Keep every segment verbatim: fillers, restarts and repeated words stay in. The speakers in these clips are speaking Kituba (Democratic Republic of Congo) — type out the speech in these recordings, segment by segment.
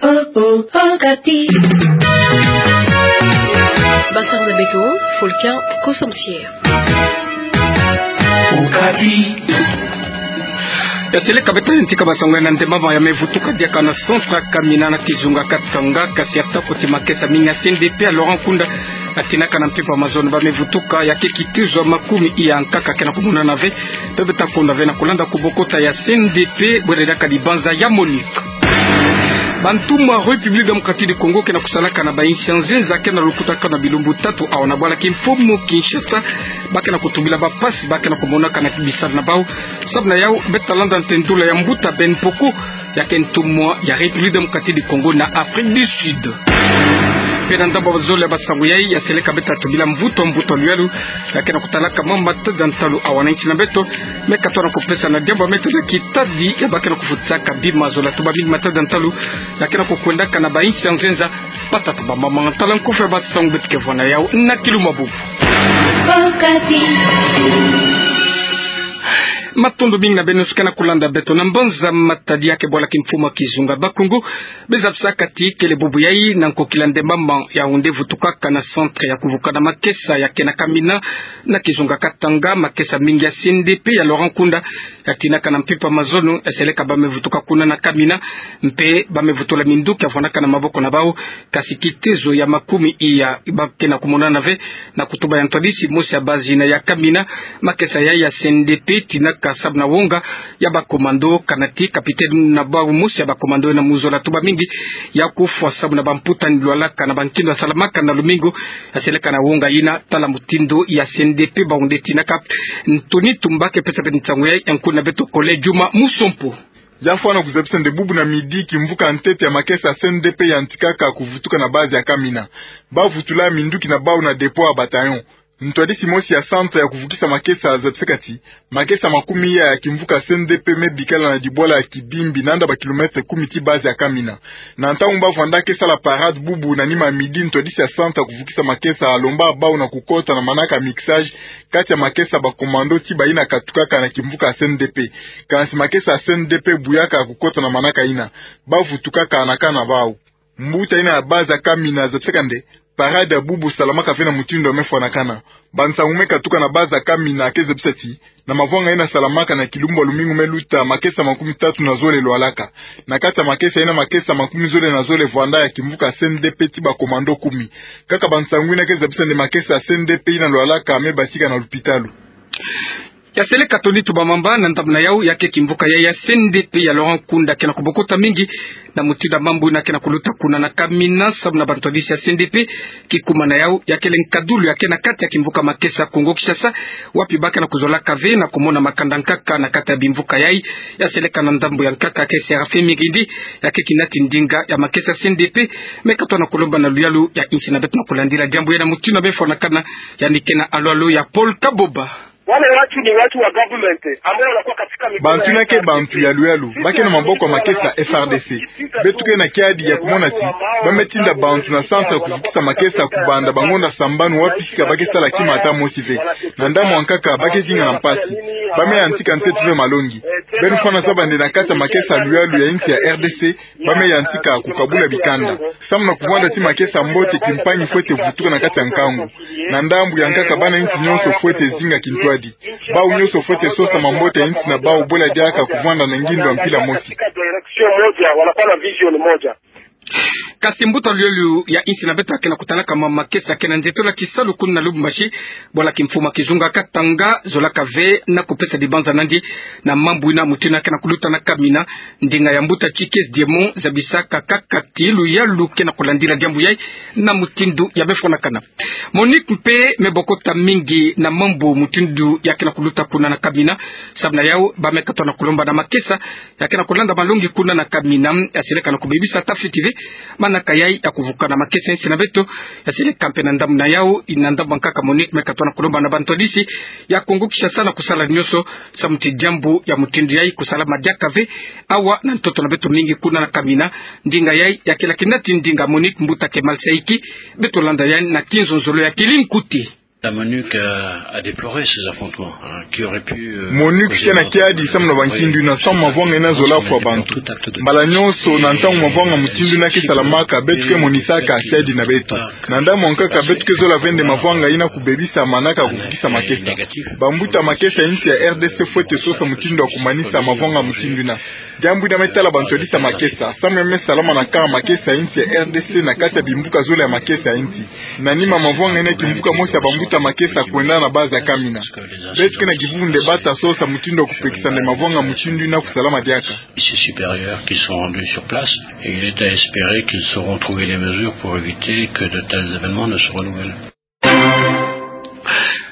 Oh, oh, Okapi. Basango na beto, Fulcan Kosomsie. Okapi. Ya seleka beto yantika basango ya na ndemama ya me vutuka diaka na centre ya Kamina na kizunga Katanga, kasi atako ti makesa mingi ya C N D P ya Laurent Nkunda, yatinaka na mpimpa mazono ba me vutuka, ya ke kitezo ya makumi iya nkaka ke na kumonana ve. Pe beta konda ve na kulanda kubokota ya C N D P, bwere diaka dibanza ya MONUC. Bantumwa République Démocratique du Congo ke na kusalaka na bainsi ya nzenza ke na lukutakano ya bilumbu tatu awa na bwala kimfumu Kinshasa, ba ke na kutubila bampasi ba ke na kumonaka na bisalu na bau, sababu na yau beta landa ntendula ya mbuta Ben Mpoko, ya ke ntumwa ya République Démocratique du Congo na Afrique du Sud. Pe na ndambu ya zole ya basango yai, ya seleka beta tubila mvutu, mvutu ya luyalu, ya ke na kutalaka mambu matada ntalu awa na insi na beto, me katoa na kupesa na diambu ya meta na kitadi ya ba ke na kufutisaka bima zola. Tuba mingi matada ntalu ya ke na kukwendaka na bainsi ya nzenza, pata tuba mama tala nkufi ya basango beto ke vwa na yau na kiluma bubu. Matondo mingi na beno suke na kulanda beto. Na mbanza matadi ya ke bwala kimfumu ya kizunga Bakongo, be zabisaka ti kele bubu yai na nkokila ndemama ya onde vutukaka na centre ya kuvukana makesa ya ke na Kamina, na kizunga Katanga, makesa mingi ya C N D P ya Laurent Nkunda, yatinaka na mpimpa mazono, ya seleka ba me vutuka kuna na Kamina, mpe ba me vutula minduki ya vwandaka na maboko na bau, kasi kitezo ya makumi iya ba ke na kumonana ve, na kutuba ya ntwadisi mosi ya bazi na ya Kamina, makesa yai ya C N D P yatinaka sababu na wonga ya bakomando, kana ti capitaine na bau mosi ya bakomando na muzola tuba mingi ya kufwa sababu na bamputa ni lwalaka na bankindo ya salamaka na lumingu, ya seleka na wonga yina, tala mutindu ya C N D P ba onde tinaka. Ntoni Tumba ke pesa beto nsangu yai, ya nkuna beto kole Juma Musompo. Ya fwana kuzabisa nde bubu na midi kimvuka ntete ya makesa ya C N D P yantikaka kuvutuka na bazi ya Kamina. Ba vutula minduki na bau na dépôt ya bataillon. Ntwadisi mosi ya centre ya kuvukisa makesa zabisaka ti makesa makumi iya ya kimvuka C N D P me bikala na dibwala ya Kibimbi, nanda ba kilomètre kumi ti bazi ya Kamina. Na ntangu ba vwanda ke sala parade bubu na nima ya midi, ntwadisi ya centre ya kuvukisa makesa alomba bau na kukota na manaka ya mixage kati ya makesa ya bakomando ti bayina katukaka na kimvuka ya C N D P. Kansi makesa ya C N D P buyaka kukota na manaka yina. Ba vutukaka na camp na bau. Mbuta yina ya bazi ya Kamina zabisaka nde parade ya bubu salamaka ve na mutindu ya me fwanakana. Bansangu me katuka na bazi ya Kamina ke zabisa ti, na mavwanga yina salamaka na kilumbu ya lumingu me luta, makesa makumi tatu na zole lwalaka. Na kati ya makesa yina, makesa makumi zole na zole vwanda ya kimvuka C N D P ti bakomando kumi. Kaka bansangu yina ke zabisa nde makesa ya C N D P yina lwalaka me batika na lupitalu. Ya seleka Ntoni Tumba Mamba, na ndambu na yau, ya ke kimvuka yai ya C N D P ya Laurent Nkunda ke na kubokota mingi na mutindu ya mambu yina ke na kuluta kuna na Kamina sababu na bantwadisi ya C N D P. Kikuma na yau, ya kele nkadulu ya ke na kati ya kimvuka makesa Kongo Kinshasa, wapi ba ke na kuzolaka ve na kumona makanda nkaka na kati ya bimvuka yai. Ya seleka na ndambu ya nkaka ke Séraphin Mirindi, ya ke kinati ndinga ya makesa C N D P, me katoa na kulomba na luyalu ya insi na beto na kulandila diambu yai na mutindu ya me fwanakana. Yandi ke na alwalu ya Paul Kaboba. Wale watu ni watu wa government ambao wanakuwa katika mikono ya F R D C. Bantu yina ke bantu ya luyalu, ba ke na maboko ya makesa F R D C. Beto ke na kiadi ya kumona ti ba me tinda bantu na centre ya kuvukisa makesa kubanda bangonda sambanu wapi sika ba ke sala kima ata mosi ve. Na ndambu ya nkaka ba ke zinga na mpasi. Ba me yantika ntete ve malongi. Beno fwana zaba nde na kati ya makesa ya luyalu ya insi ya R D C, ba me yantika kukabula bikanda. Samu na kuvwanda ti makesa mbote, kimpangi fwete vutuka na kati ya nkangu. Na ndambu ya nkaka, bana insi nyonso fwete zinga kintwadi. Bau nyonso fwete sosa mambote ya insi na bau, bwela diaka kuvwanda na ngindu ya mpila mosi. Kasi mbuta luyalu ya insi na beto ke na kutalaka ma makesa ke na nzitula kisalu kuna na Lubumbashi, bwala kimfumu ya kizunga Katanga zolaka ve na kupesa dibanza nandi na mambu yina, mutindu yina ke na kuluta na Kamina. Ndinga ya mbuta Tshikezi Diemon zabisaka kaka ti luyalu ke na kulandila diambu yai na mutindu ya me fwanakana. MONUC mpe me bokota mingi na mambu mutindu ya ke na kuluta kuna na Kamina, sababu na yau ba me katoa na kulomba na makesa ya ke na kulanda malongi kuna na Kamina, ya seleka na kubebisa ata fiti ve manaka yai ya kuvukana makesa ya insi na beto. Ya seleka mpe na ndambu na yau, na ndambu ya nkaka MONUC me katoa na kulomba na bantwadisi ya Kongo Kinshasa na kusala nyonso samu ti diambu ya mutindu yai kusalama diaka ve awa na ntoto na beto mingi kuna na Kamina. Ndinga yai ya kele kinati ndinga MONUC, mbuta Kemal Saiki. Beto landa yandi na kinzonzolo ya Kilinkuti. La MONUC a, a déploré ces affrontements, hein, qui auraient pu, euh, MONUC ke na kiadi samu na bankindu ina, samu mavwanga ina zola fwa bantu. Mbala nyonso na ntangu mavwanga mutindu ina ke salamaka, beto ke monisaka kiadi na beto. Na ndambu ya nkaka beto ke zola vende mavwanga ina kubebisa mana ka kuvukisa makesa. Bambuta makesa ya insi ya R D C fwete sosa mutindu ya kumanisa mavwanga mutindu ina. Diambu ina me tala bantu yadisa makesa. Samu ya me salama na kanga makesa ya insi ya R D C na kati ya bimbuka zole ya makesa ya insi. Na nima mavwanga ina kimbuka mosi ya bambuta makesa kwenda na base ya Kamina. Beto ke na kivundu nde bata sosa mutindu ya kupekisa nde mavwanga mutindu ina kusalama diaka. Ces supérieurs qui sont rendus sur place, et il est à espérer qu'ils sauront trouver les mesures pour éviter que de tels événements ne se renouvellent.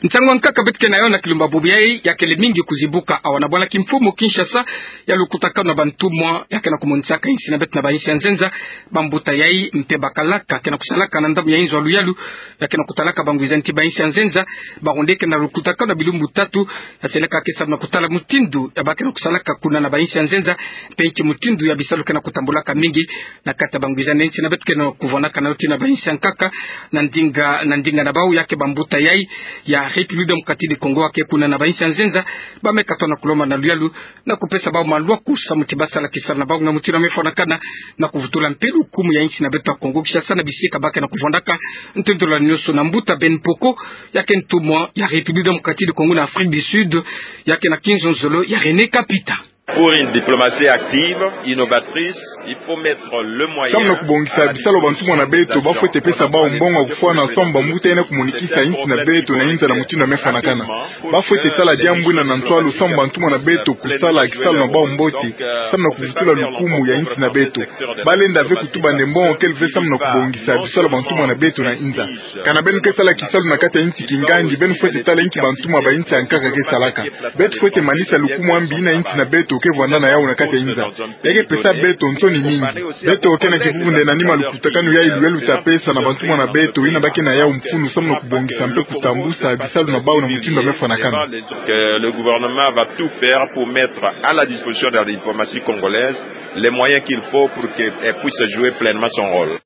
Nsangu ya nkaka beto ke na yo na kilumbu bubu yayi, ya kele mingi kuzibuka awa na bwala kimfumu Kinshasa, ya lukutakanu na bantumwa ya ke na kumonisaka insi na beto na bainsi ya nzenza. Bambuta yayi mpe bakalaka ke na kusalaka na ndambu ya inzo ya luyalu, ya ke na kutalaka bangwiza nti bainsi ya nzenza, baronde ke na lukutakanu na bilumbu tatu, ya seleka ke samu na kutala mutindu ya ba ke na kusalaka kuna na bainsi ya nzenza, mpe nki mutindu ya bisalu ke na kutambulaka mingi na kati ya bangwiza nti na beto ke na kuvwanaka na yo tii na bainsi ya nkaka. Na ndinga, na ndinga na bau, ya ke bambuta yayi ya République Démocratique du Congo ya ke kuna na bainsi ya nzenza, ba me katono na kulomba na luyalu na kupesa bau malwaku samu ti ba sala kisalu na bau na mutindu ya me fwanakana, na kuvutula mpe lukumu ya insi na beto ya Congo Kinshasa na bisika ba ke na kuvwandaka. Ntondolo nyonso na mbuta Ben Mpoko, ya ke ntumwa ya République Démocratique du Congo na Afrique du Sud, ya ke na kinzonzolo ya René Kapita. Pour une diplomatie active, innovatrice, il faut mettre le moyen. Samu na kubongisa bisalu bantumwa na beto, ba fwete pesa bau mbongo ya kufwana samu bambuta ina kumonikisa insi na beto na inza na mutindu ya me fwanakana. Ba fwete sala diambu ina na ntwalu samu bantumwa na beto kusala kisalu na bau mbote, samu na kuvutula lukumu ya insi na beto. Ba lenda ve kutuba nde mbongo kele ve samu na kubongisa bisalu bantumwa na beto na inza. Kana beno ke sala kisalu na kati ya insi kingandi, beno fwete tala inki bantumwa ba insi ya nkaka ke salaka. Beto fwete manisa lukumu ya mbi ina insi na beto ke vwanda na yau na kati ya inza. Ya ke pesa beto nsoni mingi. Beto ke na kivuvu nde na nima lukutakanu yayi luyalu ta pesa na bantumwa na beto ina ba ke na yau mfunu samu na kubongisa mpe kutambusa bisalu na bau na mutindu ya me fwanakana. Que le gouvernement va tout faire pour mettre à la disposition de la diplomatie congolaise les moyens qu'il faut pour qu'elle puisse jouer pleinement son rôle.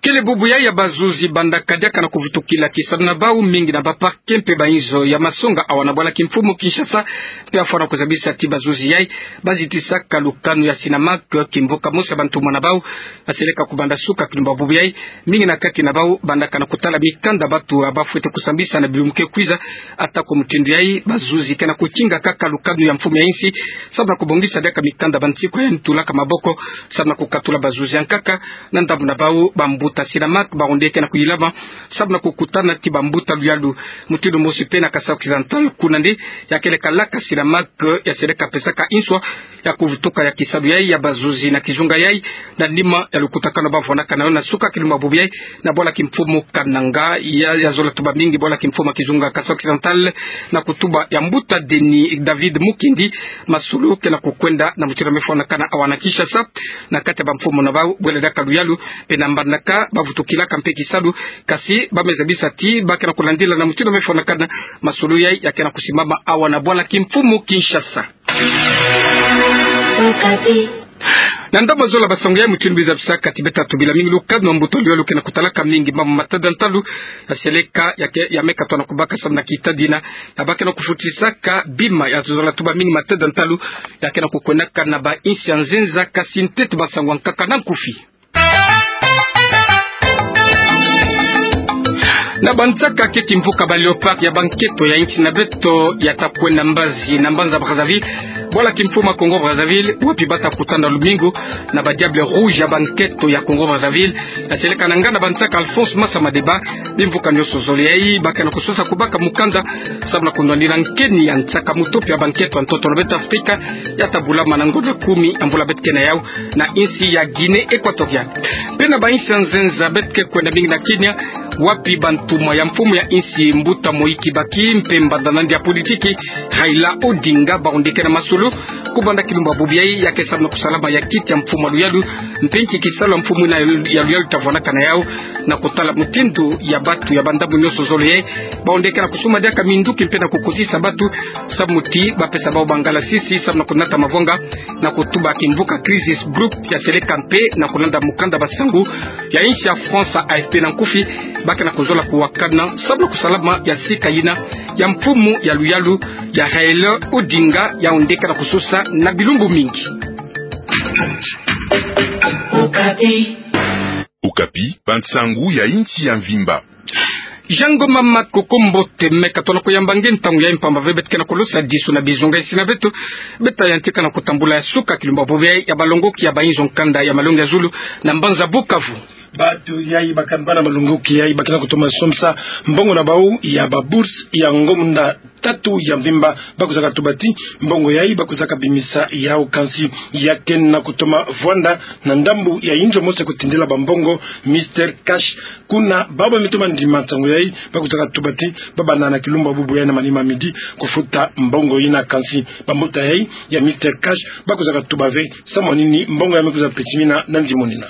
Kele bubu yayi ya bazuzi bandaka diaka na kuvutukila kisalu na bau mingi na ba parquet mpe ba inzo ya masonga awa na bwala kimfumu Kinshasa, mpe afwana kuzabisa ti bazuzi yayi ba zitisaka lukanu ya Sinamak, kimbuka mosi ya bantumwa na bau, ya seleka kubanda suka kilumbu bubu yayi. Mingi na kati na bau bandaka na kutala mikanda batu ya ba fwete kusambisa na bilumbu ke kwiza. Ata ko mutindu yayi, bazuzi ke na kukinga kaka lukanu ya mfumu ya insi, samu na kubongisa diaka mikanda bansi ko ya ntulaka maboko, samu na kukatula bazuzi ya nkaka. Na ndambu na bau, bambuta Sinamak baronde ke na kuyilama samu na kukutana ti bambuta luyalu. Mutindu mosi mpe na Kasai Occidental, kuna nde ya kele kalaka Sinamak ya seleka pesaka inswa ya kuvutuka ya kisalu yayi ya bazuzi na kizunga yayi, na nima ya lukutakanu ba vwanaka na yo na suka kilumbu bubu yayi na bwala kimfumu Kananga. Ya, ya zola tuba mingi bwala kimfumu ya kizunga Kasai Occidental na kutuba ya mbuta Denis David Mukendi. Masolo ke na kukwenda na mutindu ya me fwanakana awa na Kinshasa, na kati ya bamfumu na bau bwele diaka luyalu, mpe na mbandaka ba vutukilaka mpe kisalu, kasi ba me zabisa ti ba ke na kulandila na mutindu ya me fwanakana masolo yayi ya ke na kusimbama awa na bwala kimfumu Kinshasa. Na ndambu ya zola basango ya mutindu biza bisaka ti beta tubila mingi lukanu ya mbuta luyalu ke na kutalaka mingi mambu matadi ya ntalu, ya seleka ya ke, ya me katono kubaka samu na kitadina ya ba ke na kufutisaka bima. Ya zola tuba mingi matadi ya ntalu ya ke na kukwendaka na ba insi ya nzenza, kasi ntete basango ya nkaka na nkufi. Na bansaka ke kimvuka ba Léopards ya banketo ya insi na beto ya ta kwenda mbazi na mbanza Brazzaville, bwala kimfumu ya Congo Brazzaville, wapi ba ta kutana lumingu na ba Diables Rouges ya banketo ya Congo Brazzaville. Ya seleka na ngana bansaka Alphonse Massa Madeba, bimvuka nyonso zole yayi ba ke na kusosa kubaka mukanda samu na kunwanina nkeni ya nsaka mutopi ya banketo ya ntoto na beto Afrika, ya ta bulama na ngonda kumi ya mvula beto ke na yau na insi ya Guinée Équatoriale. Mpe na ba insi ya nzenza, beto ke kwenda mingi na Kenya, wapi bantumwa ya mfumu ya insi mbuta Mwai Kibaki mpe mbanda na yandi ya politiki Raila Odinga baronde ke na masolo kubanda kilumbu bubu yayi, ya ke samu na kusalama ya kiti ya mfumu ya luyalu, mpe nki kisalu ya mfumu ina ya luyalu ta vwanaka na yau, na kutala mutindu ya batu ya ba ndambu nyonso zole yayi baronde ke na kusuma diaka minduki mpe na kukotisa batu, samu ti ba pesa bau bangalasisi samu na kunata mavwanga, na kutuba kimvuka Crisis Group ya seleka mpe na kulanda mukanda basango ya insi ya France, A F P na nkufi, Ba ke na kuzola kuwakana sababu na kusalama ya sika yina ya mfumu ya luyalu ya Raila Odinga, yawu nde ke na kusosa na bilumbu mingi. Okapi, bansangu ya insi ya mvimba. Jango mama Koko, mbote. Me ka tona kuyamba nge ntangu yayi mpamba ve beto ke na kulosa disu na bizonga isi na beto. Beta yantika na kutambula ya suka kilumba bobo yayi ya balongoki ya bayinzo nkanda ya malongi ya zulu na mbanza Bukavu. Bato yayi bakambana malongoki yayi ba ke na kutoma somisa mbongo na bawu ya ba bourse ya ngo munda tatu ya mvimba. Ba kwizaka tuba ti mbongo yayi ba kwizaka bimisa yawu, kansi ya ke na kutoma vwanda na ndambu ya inzo mosi ya kutindila bambongo, Mister Cash. Kuna bawu ba me toma ndima nsangu yayi ba kwizaka tuba ti ba banda na kilumba bubu yayi na manima midi kufuta mbongo yina, kansi bambuta yayi ya Mister Cash ba kwizaka tuba ve samu na nini mbongo yayi me kwiza pitimina na nzimonina.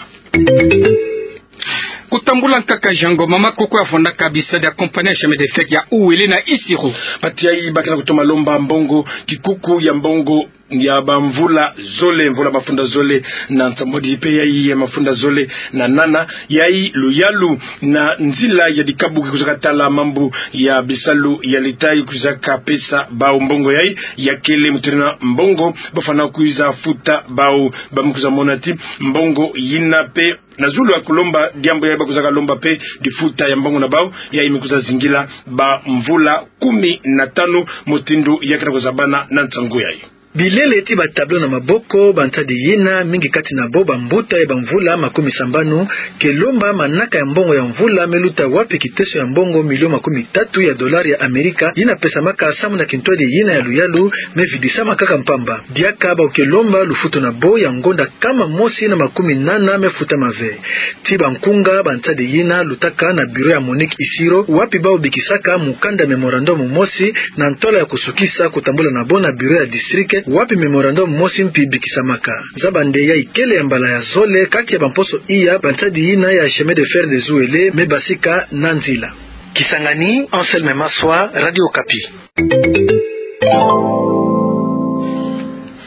Kutambula nkaka, Jango mama Koko, ya vwandaka bisadi ya compagnie ya chemin de fer ya Uele na Isiro. Bato yayi ba ke na kutoma lomba mbongo, kikuku ya mbongo ya bamvula zole, mvula mafunda zole na nsambwadi mpe yayi ya mafunda zole na nana. Yayi luyalu na nzila ya dikabu ke kwizaka tala mambu ya bisalu ya leta, kwizaka pesa bawu mbongo yayi, ya kele mutindu yina mbongo ba fwana kwiza futa bawu. Ba me kwiza mona ti mbongo yina mpe na zulu ya kulomba diambu yayi ba kwizaka lomba mpe difuta ya mbongo na bawu, yayi me kwiza zingila bamvula kumi na tanu, mutindu ya ke na kuzabana na nsangu yayi. Bilele ti ba tableau na maboko, bansadi yina, mingi kati na bo bambuta ya bamvula makumi sambanu, ke lomba manaka ya mbongo ya mvula me luta wapi kiteso ya mbongo milio makumi tatu ya dolari ya Amerika yina pesamaka samu na kintwadi yina ya luyalu me vidisama kaka mpamba. Diaka bawu ke lomba lufutu na bo ya ngonda nkama mosi na makumi nana me futama ve. Ti bankunga, bansadi yina lutaka na bureau ya Monique Isiro, wapi bawu bikisaka mukanda, mémorandum mosi, na ntwala ya kusukisa kutambula na bo na bureau ya district wapi mémorandum mosi mpi bikisamaka. Zaba nde yayi kele ya mbala ya zole kake ya bamposo iya bansadi yina ya chemin de fer des Uele me basika na nzila. Kisangani, Anselme Maswa, Radio Okapi.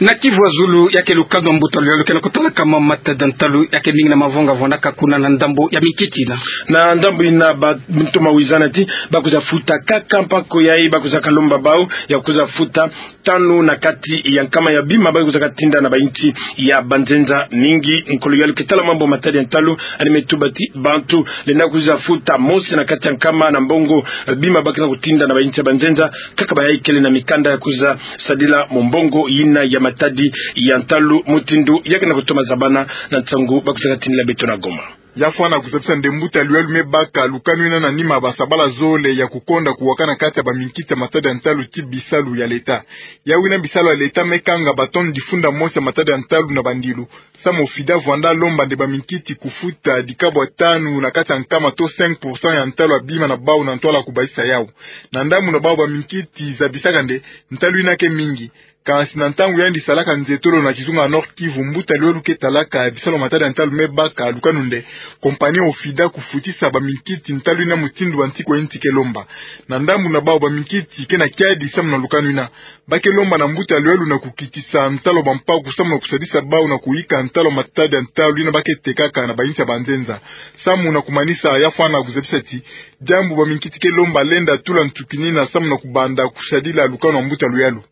Na Kivu ya zulu, ya ke lukanu ya mbuta luyalu ke na kutalaka matadi ya ntalu ya ke mingi na mavonga vwandaka kuna na ndambu ya minkiti yina. Na ndambu yina ba me toma wizana ti ba kwiza futa kaka mpako yayi ba kwizaka lomba bawu ya kwiza futa tanu na kati ya nkama ya bima ba kwizaka tinda na bayinsi ya banzenza. Mingi nkolo yalu ke tala mambu matadi ya ntalu, yandi me tuba ti bantu lenda kwiza futa mosi na kati ya nkama na mbongo bima ba ke na kutinda na bayinsi ya banzenza, kaka bayayi kele na mikanda ya kwiza sadila mu mbongo yina ya matadi ya ntalu, mutindu ya ke na kutoma zabana na nsangu ba kwizaka tindila beto na Goma. Ya fwana kuzabisa nde mbuta luyalu me baka lukanu yina na nima ya basabala zole ya kukonda kuwakana kati ya baminkiti ya matadi ya ntalu ti bisalu ya leta. Yawu yina bisalu ya leta me kanga ba tonne difunda mosi ya matadi ya ntalu na bandilu, samu OFIDA vwanda lomba nde baminkiti kufuta dikabwa tanu na kati ya nkama to cinq pour cent ya ntalu ya bima na bawu na ntwala kubasisa yawu. Na ndambu na bawu, baminkiti zabisaka nde ntalu yina ke mingi. Kansi na ntangu yandi salaka nzietolo na kizunga ya Nord-Kivu, mbuta luyalu ke talaka bisalu ya matadi ya ntalu me baka lukanu nde compagnie OFIDA kufutisa baminkiti ntalu yina mutindu bansiku ya insi ke lomba. Na ndambu na bawu, baminkiti ke na kiadi samu na lukanu yina. Ba ke lomba na mbuta luyalu na kukitisa ntalu ya bampaku samu na kusadisa bawu na kuyika ntalu ya matadi ya ntalu yina ba ke tekaka na bayinsi ya banzenza. Samu na kumanisa, ya fwana kuzabisa ti diambu baminkiti ke lomba lenda tula nsukini yina samu na kubanda kusadila lukanu ya mbuta luyalu.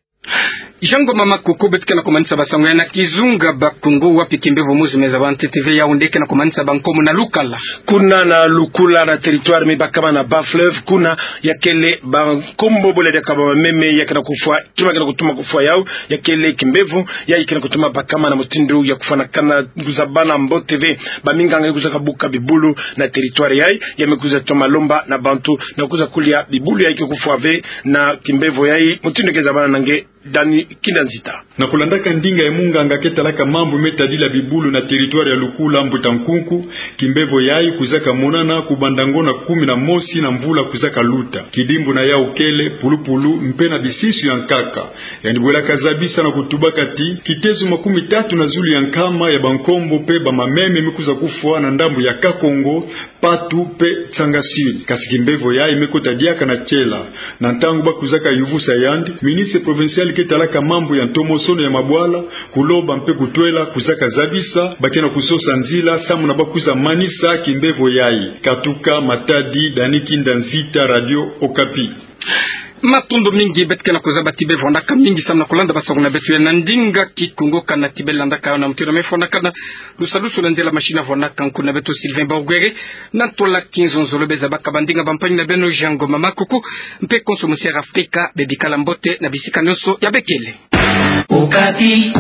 Jango mama Koko, beto ke na kumanisa basangu ya na kizunga Bakongo, wapi kimbevo mosi me zaba ntete ve, yawu nde ke na kumanisa bankomo na lukala. Kuna na Lukula na territoire me bakama na Bas-Fleuve, kuna ya kele bankombo bole diaka ba mameme ya ke na kufwa, kima ke na kutuma kufwa yawu, ya kele kimbevo yayi ke na kutuma bakama na mutindu ya kufwanakana, kuzabana mbote ve. Baminganga ya kwiza kabuka bibulu na territoire yayi, ya me kwiza toma lomba na bantu na kwiza kulia bibulu yayi ke kufwa ve na kimbevo yayi, mutindu ke zabana na nge Dani Kinda Nzita. Na kulandaka ndinga ya munganga ke talaka mambu me tadila bibulu na territoire ya Lukula, mbuta Nkunku, kimbevo yayi kwizaka monana kubanda ngonda kumi na mosi na mvula kwizaka luta. Kidimbu na yawu kele pulupulu mpe na bisisu ya nkaka. Yandi bwelaka zabisa na kutubaka ti kitezo makumi tatu na zulu ya nkama ya bankombo mpe ba mameme me kwiza kufwa na ndambu ya Kakongo, Patu mpe Tsanga Sud. Kansi kimbevo yayi me kota diaka na tiela. Na ntangu ba kwizaka yuvusa yandi, ministre provincial ke talaka mambu ya ntomosono ya mabwala, kuloba mpe kutwela kuzaka zabisa, bakena kusosa nzila samu na bakwiza manisa kimbevo yayi. Katuka Matadi, Dani Kinda Nzita, Radio Okapi. Matondo mingi, beto ke na kuzaba ti bevwandaka mingi samu na kulanda basangu na beto ya na ndinga Kikongo. Kana ti belandaka yo na mutindu mefwanakana, lusalusu na nzila machine avwanaka nkuna beto Sylvain Borgwere, na ntwala kinzonzolo. Bezabaka bandinga bampangi na beno Jean Ngoma Makuku, mpe konso Musier Afrika, bebikala mbote na bisika nyonso ya bekele. Okapi.